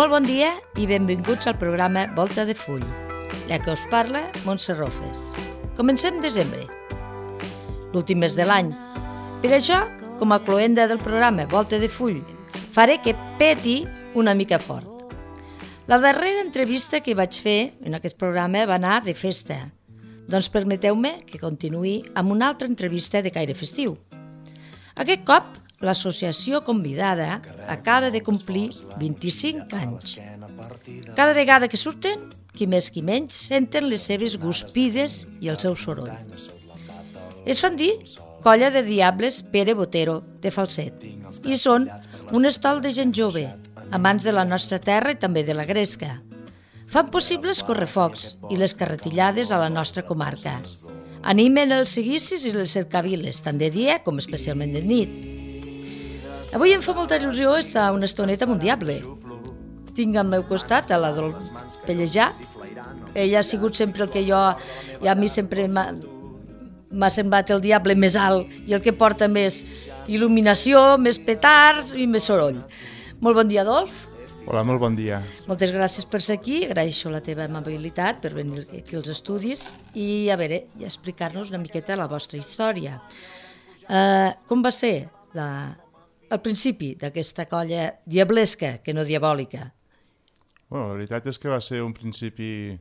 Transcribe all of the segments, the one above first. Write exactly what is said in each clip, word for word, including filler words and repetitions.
Molt bon dia i benvinguts al programa Volta de Full. La que us parla, Montse Rofes. Comencem desembre, l'últim mes de l'any. Per això, com a cloenda del programa Volta de Full, faré que peti una mica fort. La darrera entrevista que vaig fer en aquest programa va anar de festa. Doncs permeteu-me que continuï amb una altra entrevista de caire festiu. Aquest cop, l'associació convidada acaba de complir vint-i-cinc anys. Cada vegada que surten, qui més qui menys, senten les seves guspides i el seu soroll. Es fan dir Colla de Diables Pere Botero, de Falset, i són un estol de gent jove, amants de la nostra terra i també de la gresca. Fan possibles correfocs i les carretillades a la nostra comarca. Animen els seguicis i les cercaviles, tant de dia com especialment de nit. Avui em fa molta il·lusió estar una estoneta amb un diable. Tinc al meu costat a la Dolors Pellejà. Ella ha sigut sempre el que jo, i a mi sempre m'ha, m'ha semblat el diable més alt i el que porta més il·luminació, més petards i més soroll. Molt bon dia, Adolf. Hola, molt bon dia. Moltes gràcies per ser aquí, agraeixo la teva amabilitat per venir aquí als estudis i a veure, i explicar-nos una miqueta la vostra història. Uh, com va ser la, el principi d'aquesta colla diablesca, que no diabòlica? Bueno, la veritat és que va ser un principi...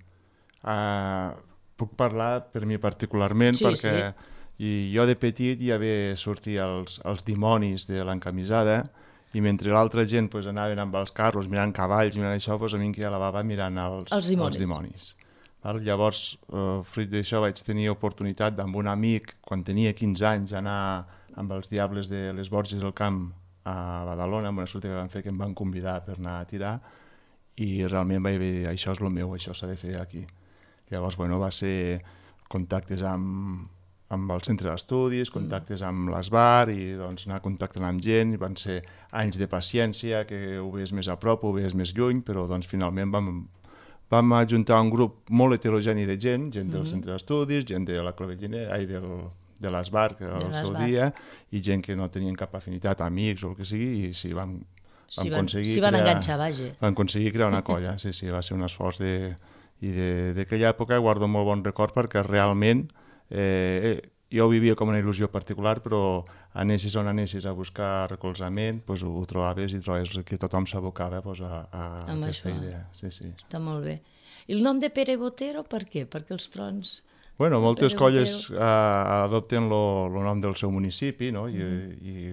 Uh, puc parlar per mi particularment, sí, perquè sí. I jo de petit ja ve sortir els, els dimonis de l'encamisada, i mentre l'altra gent pues, anaven amb els carros mirant cavalls, mirant això, pues, a mi em quedava la bava mirant els, els dimonis. Els dimonis. Val? Llavors, uh, fruit d'això, vaig tenir oportunitat amb un amic, quan tenia quinze anys, anar amb els diables de les Borges del Camp a Badalona, amb una sortida que van fer que em van convidar per anar a tirar, i realment vaig dir, això és el meu, això s'ha de fer aquí. Llavors, bueno, va ser contactes amb... amb el centre d'estudis, contactes amb l'Esbar i doncs, anar contactant amb gent, i van ser anys de paciència, que ho veies més a prop, ho veies més lluny, però doncs, finalment vam, vam ajuntar un grup molt heterogeni de gent, gent del mm-hmm. centre d'estudis, gent de la Clovellinera, ai, del, de l'Esbar, que era el seu dia, i gent que no tenien cap afinitat, amics o el que sigui, i sí, vam, vam si van, aconseguir... Si van crear, enganxar, vaja. Vam aconseguir crear una colla, sí, sí, va ser un esforç de... I d'aquella època guardo molt bon record perquè realment eh, jo ho vivia com una il·lusió particular, però anessis on anessis a buscar recolzament, pues, ho, ho trobaves i trobes que tothom s'abocava pues, a, a aquesta això. Idea. Sí, sí. Està molt bé. I el nom de Pere Botero, per què? Perquè els trons... Bueno, moltes Pere colles uh, adopten el nom del seu municipi, no? I, mm. i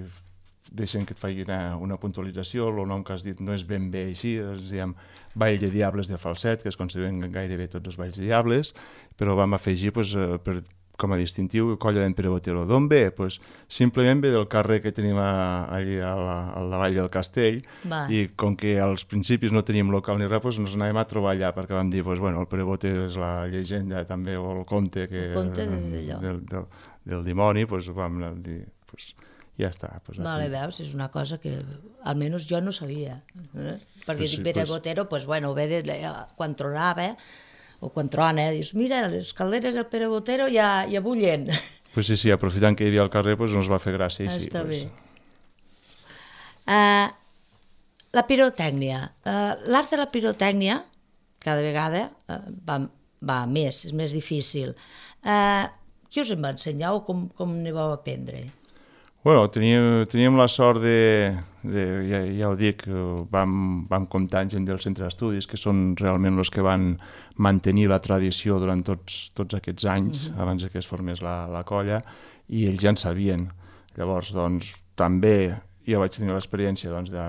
deixen que et faci una, una puntualització, el nom que has dit no és ben bé així, ens diem Vall de Diables de Falset, que es consideren gairebé tots els Valls de Diables, però vam afegir pues, per, com a distintiu Colla d'en Pere Botero. D'on ve? Pues, simplement ve del carrer que tenim a, allà a la, a la Vall del Castell, va. I com que als principis no teníem local ni res, pues, ens anàvem a trobar allà, perquè vam dir, pues, bueno, el Pere Botero és la llegenda també, o el conte, que, el conte de, del, del, del dimoni, pues, vam dir... Pues, ja està. Pues, vale, veus, és una cosa que almenys jo no sabia. Eh? Perquè pues sí, Pere pues... Botero, pues, bueno, ve de, de, quan tronava, o quan trona, dius, mira, les calderes del Pere Botero ja, ja bullen. Pues sí, sí, aprofitant que hi havia al carrer, pues, ens va fer gràcia. I està sí, bé. Pues... Uh, la pirotècnia. Uh, L'art de la pirotècnia, cada vegada, uh, va, va més, és més difícil. Uh, qui us en va ensenyar o com, com ne vau aprendre? Bueno, teníem, teníem la sort de, de ja, ja ho dic, vam, vam comptar amb gent del centre d'estudis, que són realment els que van mantenir la tradició durant tots, tots aquests anys, uh-huh. abans que es formés la, la colla, i ells ja en sabien. Llavors, doncs, també jo vaig tenir l'experiència doncs, de,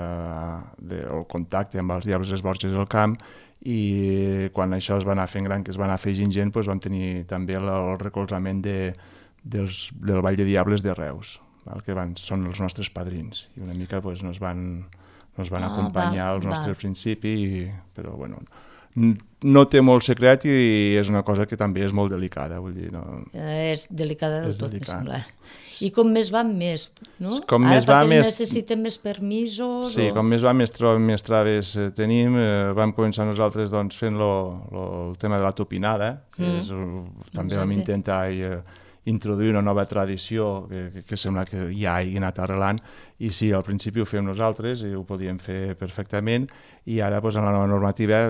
de, el contacte amb els Diables les Borges del Camp, i quan això es va anar fent gran, que es va anar afegint gent, doncs vam tenir també el, el recolzament de, dels, del Vall de Diables de Reus. El que van, són els nostres padrins i una mica pues, nos van, nos van ah, acompanyar als nostres principis, però bueno, no té molt secret i és una cosa que també és molt delicada, vull dir, no... És delicada de és tot, delicat. Sembla. I com més van més, no? Com Ara més va, perquè més... necessiten més permisos... Sí, o... com més va, més, tra... més traves tenim. Eh, vam començar nosaltres doncs, fent lo, lo, el tema de la topinada, que mm. és, també Exacte. Vam intentar... I, introduir una nova tradició que, que, que sembla que ja hagi anat arrelant, i sí, al principi ho fèiem nosaltres i ho podíem fer perfectament, i ara doncs, en la nova normativa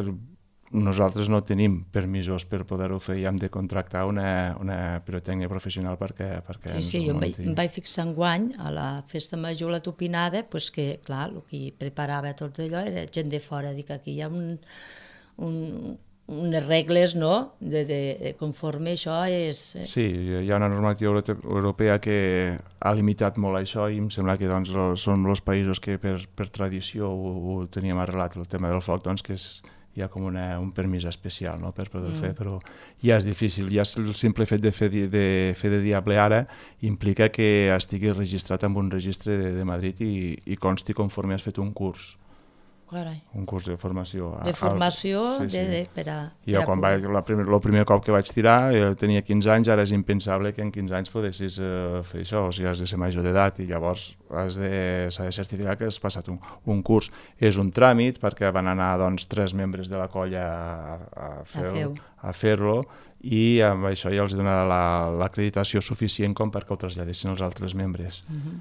nosaltres no tenim permisos per poder-ho fer i hem de contractar una, una pirotècnia professional perquè, perquè sí, ens sí, ho jo em vaig, munti. em vaig fixar enguany a la festa major, la Tupinada, pues que, clar, el que preparava tot allò era gent de fora. Dic, aquí hi ha un, un, unes regles, no?, de, de, de conforme això és... Sí, hi ha una normativa europea que ha limitat molt això i em sembla que doncs, són els països que per, per tradició ho, ho teníem arrelat, el tema del foc, doncs, que és, hi ha com una, un permís especial, no?, per poder mm. fer, però ja és difícil. Ja el simple fet de fer de, fer de diable ara implica que estigui registrat en un registre de, de Madrid i, i consti conforme has fet un curs. Carai. Un curs de formació. De formació al... sí, sí. De, de, per a... Jo per quan a vaig, la primer, el primer cop que vaig tirar, jo tenia quinze anys, ara és impensable que en quinze anys podessis uh, fer això, o sigui, has de ser major d'edat i llavors has de, s'ha de certificar que has passat un, un curs. És un tràmit perquè van anar doncs, tres membres de la colla a, a fer-lo a fer-lo i amb això ja els donarà l'acreditació la, suficient com perquè ho traslladessin els altres membres. Uh-huh.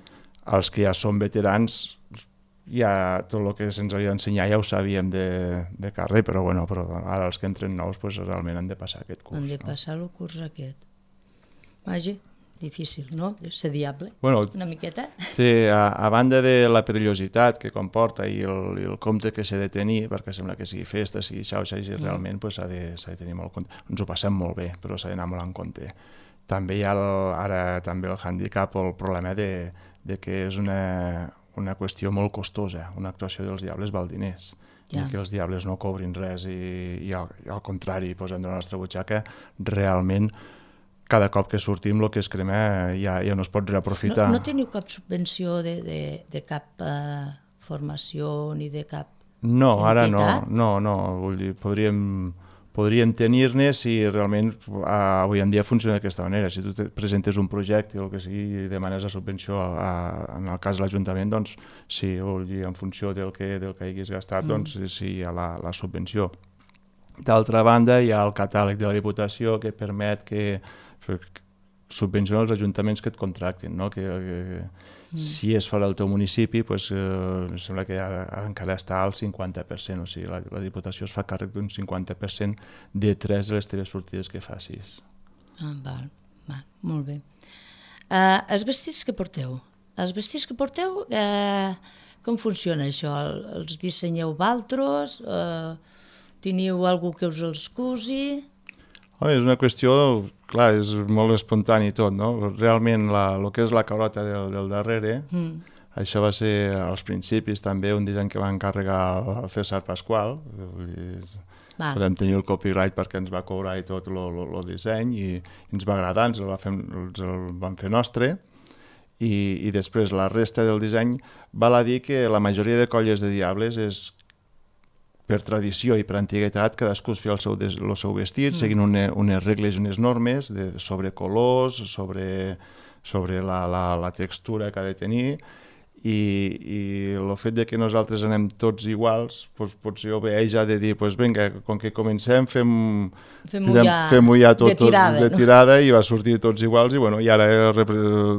Els que ja són veterans, ja tot el que se'ns havia d'ensenyar ja ho sabíem de, de carrer, però, bueno, però ara els que entren nous pues, realment han de passar aquest curs. Han de passar no? el curs aquest. Vaja, difícil, no? Ser diable, bueno, una miqueta. Sí, a, a banda de la perillositat que comporta i el, i el compte que s'ha de tenir, perquè sembla que sigui festa, sigui xauxa, i mm. realment pues, s'ha de, s'ha de tenir molt compte. Ens ho passem molt bé, però s'ha d'anar molt en compte. També hi ha el, ara també el hàndicap o el problema de, de que és una... una qüestió molt costosa. Una actuació dels diables val diners. Ja. I que els diables no cobrin res i, i, al, i al contrari, posem de la nostra butxaca, realment cada cop que sortim el que es crema ja, ja no es pot reaprofitar. No, no teniu cap subvenció de, de, de cap uh, formació ni de cap No, entitat? Ara no, no, no. Vull dir, podríem... podríem tenir-ne si realment uh, avui en dia funciona d'aquesta manera. Si tu te presentes un projecte o el que sigui i demanes la subvenció a, a, en el cas de l'Ajuntament, doncs sí, vull dir, en funció del que, del que haguis gastat, mm. doncs sí, hi ha la, la subvenció. D'altra banda, hi ha el catàleg de la Diputació que permet que, que subvenciona els ajuntaments que et contractin, no? que, que mm. si és fora del teu municipi, pues, eh, em sembla que ara, ara encara està al cinquanta per cent, o sigui, la, la Diputació es fa càrrec d'un cinquanta per cent de tres de les teves sortides que facis. Ah, val, val, molt bé. Uh, els vestits que porteu, els vestits que porteu, uh, com funciona això? Els dissenyeu valtros? Uh, teniu algú que us els cusi? Home, és una qüestió, clar, és molt espontani tot, no? Realment, la, el que és la carota del, del darrere, mm. això va ser als principis també un disseny que va encarregar el César Pasqual. Va. Podem tenir el copyright perquè ens va cobrar i tot el disseny i ens va agradar, ens el, va fer, ens el vam fer nostre. I, i després la resta del disseny val a dir que la majoria de colles de diables és per tradició i per antiguitat, cadascú es feia el seu, el seu vestit, mm. seguint une, unes regles i unes normes de, sobre colors, sobre, sobre la, la, la textura que ha de tenir, i, i el fet de que nosaltres anem tots iguals, doncs, potser obeeix a de dir, doncs vinga, com que comencem, fem, fem-ho ja, fem ja tot, de tirada, tot, de tirada no? I va sortir tots iguals, i, bueno, i ara,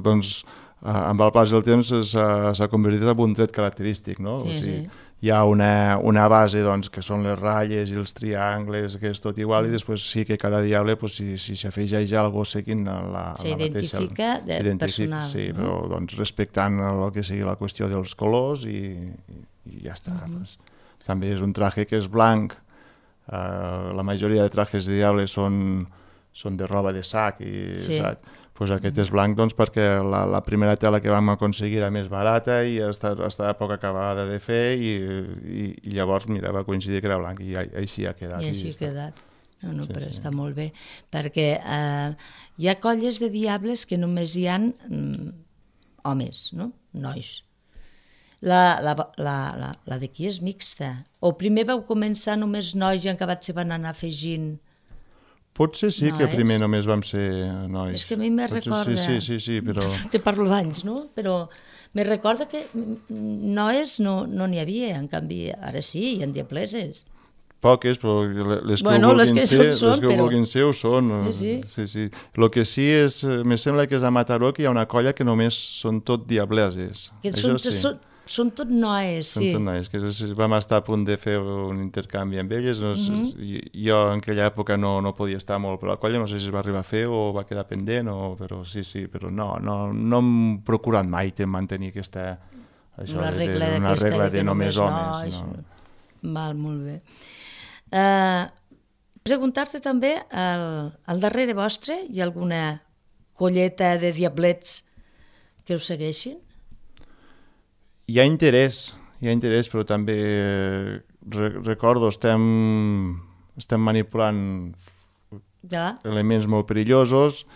doncs, amb el pas del temps s'ha convertit en un tret característic, no? Sí, o sigui, sí. Hi ha una, una base doncs, que són les ratlles i els triangles, que és tot igual, mm. i després sí que cada diable, pues, si, si s'afegeix alguna cosa seguint la, la mateixa... S'identifica de personal. Sí, no? Però doncs, respectant el que sigui la qüestió dels colors i, i, i ja està. Mm-hmm. Pues. També és un traje que és blanc, uh, la majoria de trajes de diable són, són de roba de sac, i sí. sac. Pues aquest és blanc doncs, perquè la, la primera tela que vam aconseguir era més barata i estava, estava poc acabada de fer i, i, i llavors mira, va coincidir que era blanc i així ha quedat. I així ha quedat. No, no, sí, però sí. Està molt bé, perquè eh, hi ha colles de diables que només hi ha mm, homes, no? Nois. La, la, la, la, la d'aquí és mixta. O primer vau començar només nois i en acabat se van anar afegint... Potser sí no que primer és? Només vam ser nois. És que a mi me recorda... Sí, sí, sí, sí, però... Te parlo d'anys, no? Però me recorda que nois no n'hi no havia, en canvi ara sí, hi ha diableses. poques, però les que bueno, ho vulguin que ser, són, les que però... ho vulguin ser ho són. Sí, sí. Sí, sí. El que sí és, me sembla que és a Mataró que hi ha una colla que només són tot diableses. Que Això són, sí. són, són tot noies, Són sí. tot noies, que vam estar a punt de fer un intercanvi amb elles. No sé, mm-hmm. Jo en aquella època no, no podia estar molt per la colla, no sé si es va arribar a fer o va quedar pendent, o, però sí, sí, però no, no, no hem procurat mai de mantenir aquesta... Això, una de, regla, de, una regla de, de només homes. Nois, no. Val, molt bé. Uh, preguntar-te també, al, al darrere vostre hi ha alguna colleta de diablets que us segueixin? Hi ha interès, hi ha interès, però també re, recordo, estem, estem manipulant ja. elements molt perillosos.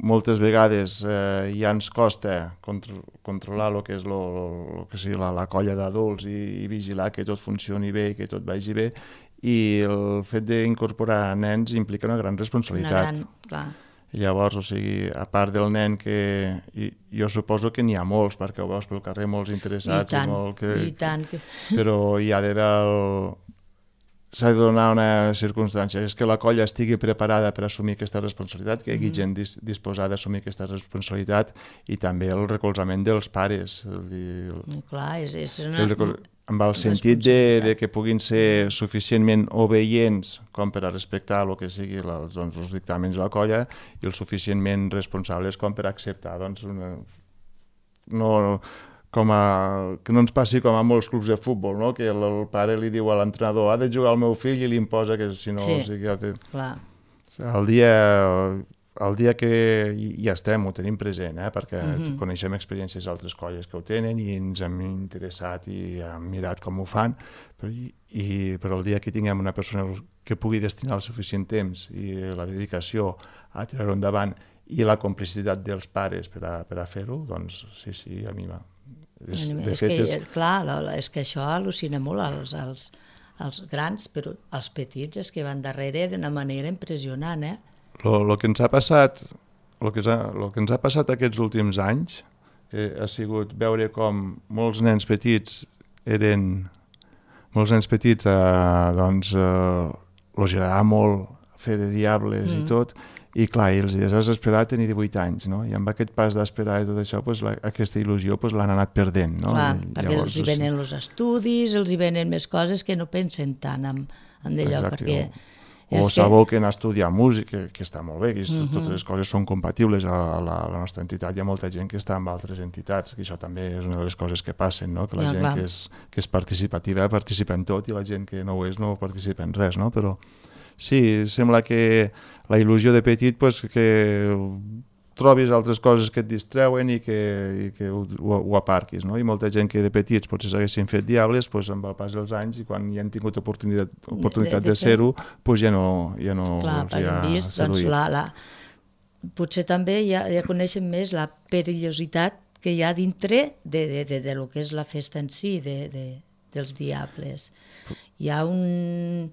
Moltes vegades eh, ja ens costa contro controlar el que és lo, lo que sigui la, la colla d'adults i, i vigilar que tot funcioni bé i que tot vagi bé, i el fet d'incorporar nens implica una gran responsabilitat. Una gran, clar. I llavors, o sigui, a part del nen que... I, jo suposo que n'hi ha molts, perquè ho veus pel carrer, molts interessats. I tant, i, molt que, i tant. Que... Però hi ha d'haver el... s'ha de donar una circumstància, és que la colla estigui preparada per assumir aquesta responsabilitat, que hi hagi mm. gent dis disposada a assumir aquesta responsabilitat, i també el recolzament dels pares. El, el, Clar, és, és una... el recol... amb el sentit de, de que puguin ser suficientment obeients com per a respectar el que sigui la, doncs, els dictàmens de la colla, i el suficientment responsables com per acceptar doncs, una... no... Com a, que no ens passi com a molts clubs de futbol, no? Que el, el pare li diu a l'entrenador ha de jugar al meu fill i li imposa que si no... Sí, o sigui, ja té... clar. El dia, el dia que ja estem, ho tenim present, eh? Perquè mm-hmm. coneixem experiències d'altres colles que ho tenen i ens hem interessat i hem mirat com ho fan, però, i, i, però el dia que tinguem una persona que pugui destinar el suficient temps i la dedicació a tirar-ho endavant i la complicitat dels pares per a, per a fer-ho, doncs sí, sí, a mi m'ha... És, de és, fet, que, és... Clar, és que això al·lucina molt als, als, als grans, però els petits és que van darrere d'una manera impressionant, eh? El que ens ha passat, el que, ha, lo que ens ha passat aquests últims anys eh, ha sigut veure com molts nens petits eren... Molts nens petits, eh, doncs, eh, els agradava molt fer de diables mm. i tot, i clar, i els has d'esperar a tenir divuit anys, no? I amb aquest pas d'esperar i tot això, pues, la, aquesta il·lusió pues, l'han anat perdent, no? Clar, I, perquè llavors, els hi venen els estudis, els hi venen més coses que no pensen tant en, en d'allò, perquè... O, o s'aboquen a estudiar música, que, que està molt bé, que és, uh-huh. totes les coses són compatibles a, a, la, a la nostra entitat. Hi ha molta gent que està amb altres entitats, que això també és una de les coses que passen, no? Que la ja, gent clar. que és, que és participativa participa en tot i la gent que no ho és no participa en res, no? Però sí, sembla que la il·lusió de petit, pues, que trobis altres coses que et distreuen i que, i que ho, ho, ho aparquis, no? I molta gent que de petits potser s'haguessin fet diables, pues, amb el pas dels anys, i quan ja han tingut oportunitat, oportunitat de, de, de ser-ho, pues, ja no, ja no clar, els hi ha vist, doncs, la, la... potser també ja, ja coneixen més la perillositat que hi ha dintre de, de, de, de lo que és la festa en si, de, de, dels diables. Hi ha un...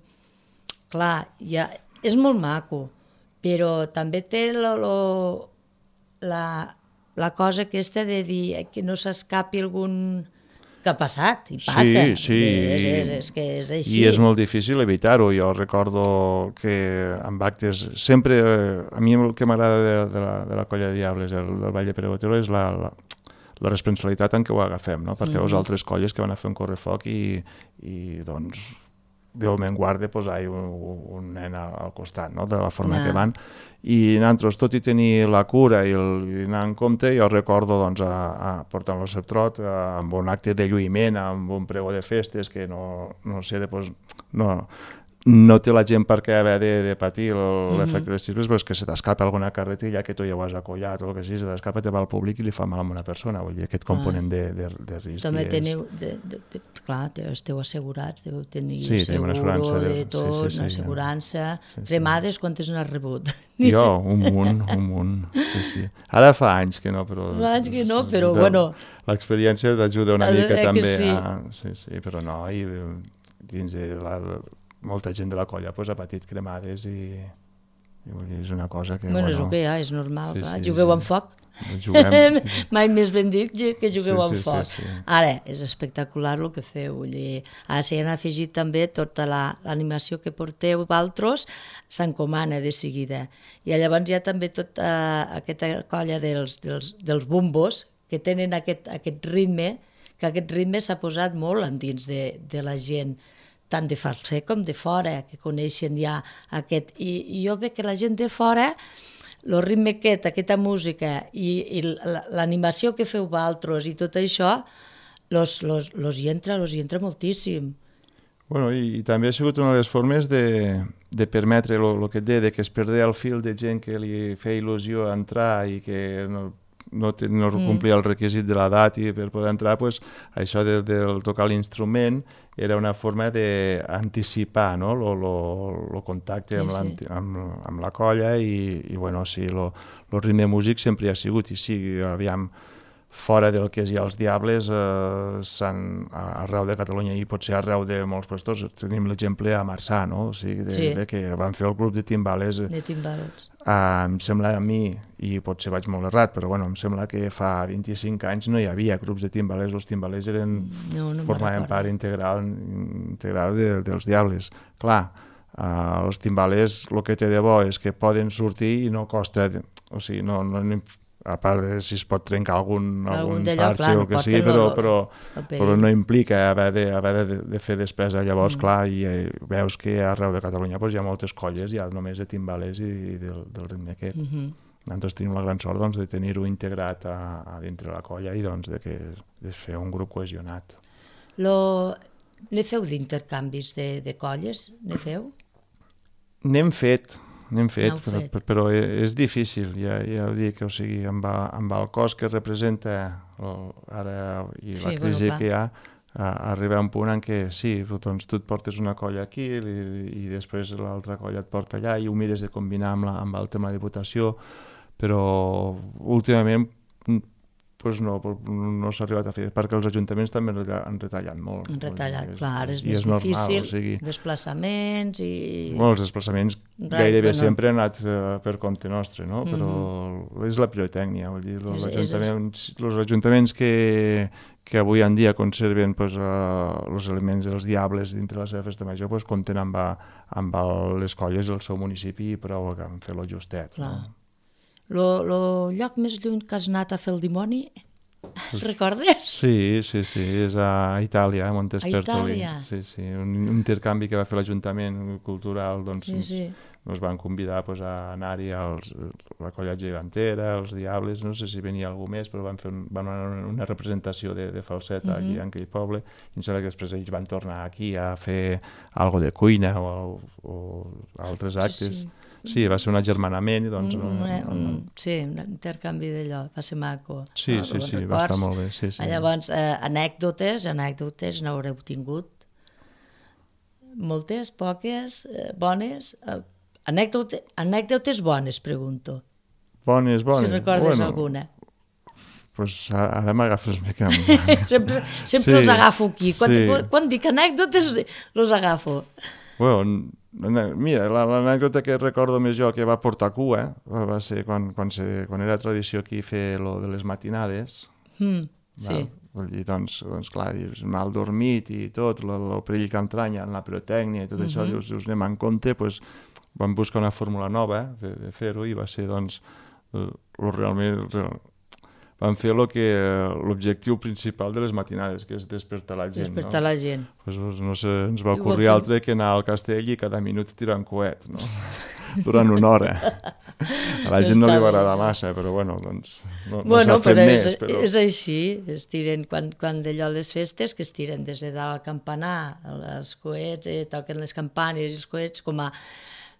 Clar, ja, és molt maco, però també té lo, lo, la, la cosa aquesta de dir que no s'escapi algun... que ha passat, i passa. Sí, sí. És, és, és que és així. I és molt difícil evitar-ho. Jo recordo que amb actes... Sempre, a mi el que m'agrada de, de, la, de la colla de diables, el, el Ball de Pere Botero, és la, la, la responsabilitat en què ho agafem, no? Perquè mm-hmm. veus altres colles que van a fer un correfoc i, i doncs... Déu me'n guarda posar un, un nen al costat, no? De la forma no. que van. I nosaltres, tot i tenir la cura i, el, i anar en compte, jo recordo doncs, a, a portar el seu trot a, amb un acte de lluïment, amb un pregó de festes que no, no sé, després, no, no té la gent per què haver de, de patir l'efecte mm-hmm. dels xiscles, però és que se t'escapa alguna carretilla que tu ja ho has acollat o el que sigui, se t'escapa, te va al públic i li fa mal a una persona. Vull dir, aquest component ah. de, de, de risc. També teniu, de, de, de, clar, esteu assegurats, deu tenir sí, seguro assegurança de, de tot, sí, sí, sí, una assegurança. Sí, sí. Cremades, quantes n'has rebut? Jo, un munt, un munt. Sí, sí. Ara fa anys que no, però... Fa anys que no, però de, bueno... L'experiència t'ajuda una mica també sí. a... Sí, sí, però no, i dins de la... molta gent de la colla pues, ha patit cremades i, I vull dir, és una cosa que... Bueno, bueno, és el que hi ha, és normal, sí, clar. sí, Jugueu sí. amb foc. Juguem... Mai més ben dit que jugueu Sí, amb sí, foc. sí, sí. Ara, és espectacular el que feu. Vull dir, ara s'hi han afegit també tota la- l'animació que porteu vosaltres, s'encomana de seguida. I llavors hi ha també tota aquesta colla dels, dels, dels bombos que tenen aquest, aquest ritme, que aquest ritme s'ha posat molt endins de, de la gent, tant de Falset com de fora, que coneixen ja aquest... I, i jo veig que la gent de fora, el ritme aquest, aquesta música i, i l'animació que feu vosaltres i tot això, los, los, los hi entra, los hi entra moltíssim. Bueno, i, i també ha sigut una de les formes de, de permetre el que et deia, de que es perdés el fil de gent que li feia il·lusió entrar i que no, no, te, no complia el requisit de l'edat i per poder entrar, pues, això de, de tocar l'instrument era una forma d'anticipar, no? lo, lo, lo contacte Sí, amb, sí. amb, amb la colla i, i bueno, sí, lo, lo ritme músic sempre hi ha sigut i sí, aviam, fora del que és ja els Diables, eh, s'han, arreu de Catalunya i potser arreu de molts puestos, tenim l'exemple a Marçà, no? O sigui, de, Sí. de que van fer el grup de timbales. De timbales. Uh, em sembla a mi, i potser vaig molt errat, però bueno, em sembla que fa vint-i-cinc anys no hi havia grups de timbalers, els timbalers eren, No, no me'n formaven recordo. part integral, integral de, dels Diables. Clar, uh, els timbalers el que té de bo és que poden sortir i no costa, o sigui, no, no, a part de si es pot trencar algun, Algun algun d'allò, parxe clar, o no el que porten sigui, el- però, el- però, el perill. però no implica haver de, haver de, de fer despesa. Llavors, mm. clar, i eh, veus que arreu de Catalunya pues, hi ha moltes colles, ja només de timbalers i, i del, del ritme aquest. Mm -hmm. Nosaltres tenim la gran sort doncs, de tenir-ho integrat a, a dintre la colla i doncs, de, que, de fer un grup cohesionat. Lo... Ne feu d'intercanvis de, de colles? Ne feu? N'hem fet, n'hem fet, N'heu però, fet. però, però és difícil, ja, ja ho dic, o sigui, amb, el- amb el cos que representa o, ara i la Sí, crisi bueno, que hi ha, a, a arribar a un punt en què sí, doncs tu et portes una colla aquí i, i després l'altra colla et porta allà i ho mires de combinar amb, la, amb el tema de votació, però últimament pues no, no s'ha arribat a fer, perquè els ajuntaments també han retallat molt. Han retallat, És- clar, és i més normal, difícil, o sigui, desplaçaments i... bueno, els desplaçaments Right, gairebé bueno. sempre han anat eh, per compte nostre, no? Però és la pirotècnia, vull dir, els És- és- ajuntaments, els ajuntaments que, que avui en dia conserven pues, uh, els elements dels diables dintre la seva festa major pues, compten amb, a- amb el, les colles del seu municipi i prou que han fet lo justet. Clar. No? Lo, lo lloc més lluny que has anat a fer el dimoni, el recordes? Sí, sí, sí, és a Itàlia, a Montespertoli. Itàlia. Sí, sí, un, un intercanvi que va fer l'Ajuntament Cultural, doncs Sí, ens, sí. ens van convidar pues, a anar-hi als, la colla gegantera, els Diables, no sé si venia algú més, però van fer un, van anar una representació de, de falset Mhm. aquí en aquell poble, i em sembla que després ells van tornar aquí a fer algo de cuina o, o altres actes. sí. Sí, va ser un agermanament i doncs... Un, no, un, no, un, sí, un intercanvi d'allò, va ser maco. Sí, no? sí, Bons sí, va estar records. molt bé, sí, sí. Llavors, eh, anècdotes, anècdotes n'haureu tingut? Moltes, poques, eh, bones? Eh, anècdotes, anècdotes bones, pregunto. Bones, bones. Si recordes bueno, alguna. Pues ara m'agafes bé que... Sempre, sempre Sí, els agafo aquí. Quan, sí. quan, quan dic anècdotes, els agafo. Bueno, mira, la- l'anècdota que recordo més jo que va portar cua va ser quan, quan, se, quan era tradició aquí fer lo de les matinades. Mm, Val? sí. Vull dir, doncs, doncs clar, dius, mal dormit i tot, el, el perill que entranya en la pirotècnia i tot això, dius, dius, anem en compte, doncs, vam buscar una fórmula nova de, de fer-ho i va ser, doncs, el, el realment... El, vam fer lo que l'objectiu principal de les matinades, que és despertar la gent. Despertar no? la gent. Pues, no sé, ens va I ho ocorrir va fer. altre que anar al castell i cada minut tirar un coet, no? Durant una hora. A la gent no li va agradar massa, però bueno, doncs no, no Bueno, s'ha fet però més. és, Però... és així, es tiren, quan, quan d'allò les festes, que es tiren des de dalt al campanar, els coets, eh, toquen les campanes i els coets, com a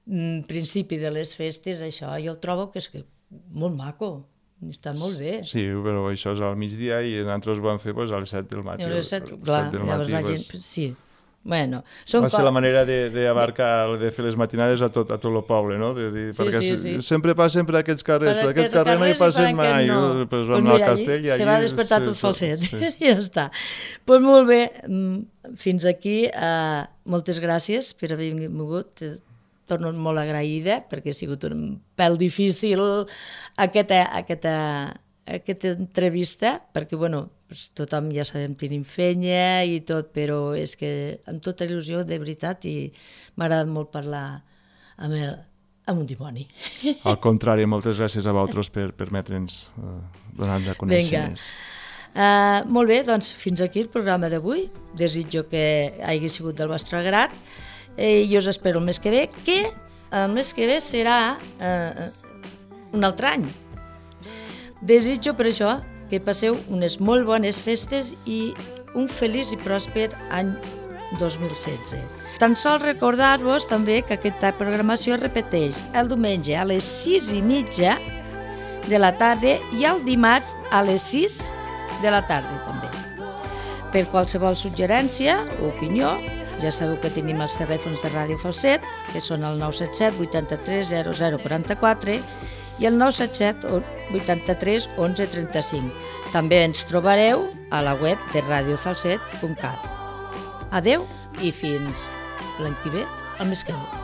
mm, principi de les festes, això jo ho trobo que és que molt maco, està molt bé. Sí, però això és al migdia i nosaltres ho vam fer pues, a les set del matí. I a les set, a les clar, set del llavors matí, la pues, gent, sí. Bueno, són va ser co- la manera d'abarcar, de, de fer les matinades a tot, a tot el poble, no? De, de, Sí, perquè sí, se- sí. sempre passen per aquests carrers, per, Per aquest carrer no hi carrers i per passen aquest mai, no. no. Pues Pues vam mira, anar al allí castell i allí... se va despertar sí, tot sí, falset, sí. i ja està. Doncs pues molt bé, mm, fins aquí, uh, moltes gràcies per haver vingut, torno molt agraïda, perquè ha sigut un pèl difícil aquesta, aquesta, aquesta entrevista, perquè, bueno, pues, tothom ja sabem, tenim fenya i tot, però és que amb tota il·lusió, de veritat, i m'ha agradat molt parlar amb, el, amb un dimoni. Al contrari, moltes gràcies a vosaltres per permetre'ns uh, donar-nos a conèixer Vinga. més. Uh, molt bé, doncs fins aquí el programa d'avui. Desitjo que hagi sigut del vostre agrat eh, i us espero el mes que ve, que el mes que ve serà uh, un altre any. Desitjo per això que passeu unes molt bones festes i un feliç i pròsper any dos mil setze. Tan sols recordar-vos també que aquesta programació es repeteix el diumenge a les sis i mitja de la tarda i el dimarts a les sis de la tarda també. Per qualsevol suggerència o opinió, ja sabeu que tenim els telèfons de Ràdio Falset, que són el nou set set vuitanta-tres zero zero quaranta-quatre i el nou set set vuitanta-tres onze trenta-cinc. També ens trobareu a la web de radio falset punt cat. Adeu i fins l'any que ve, el mes que ve.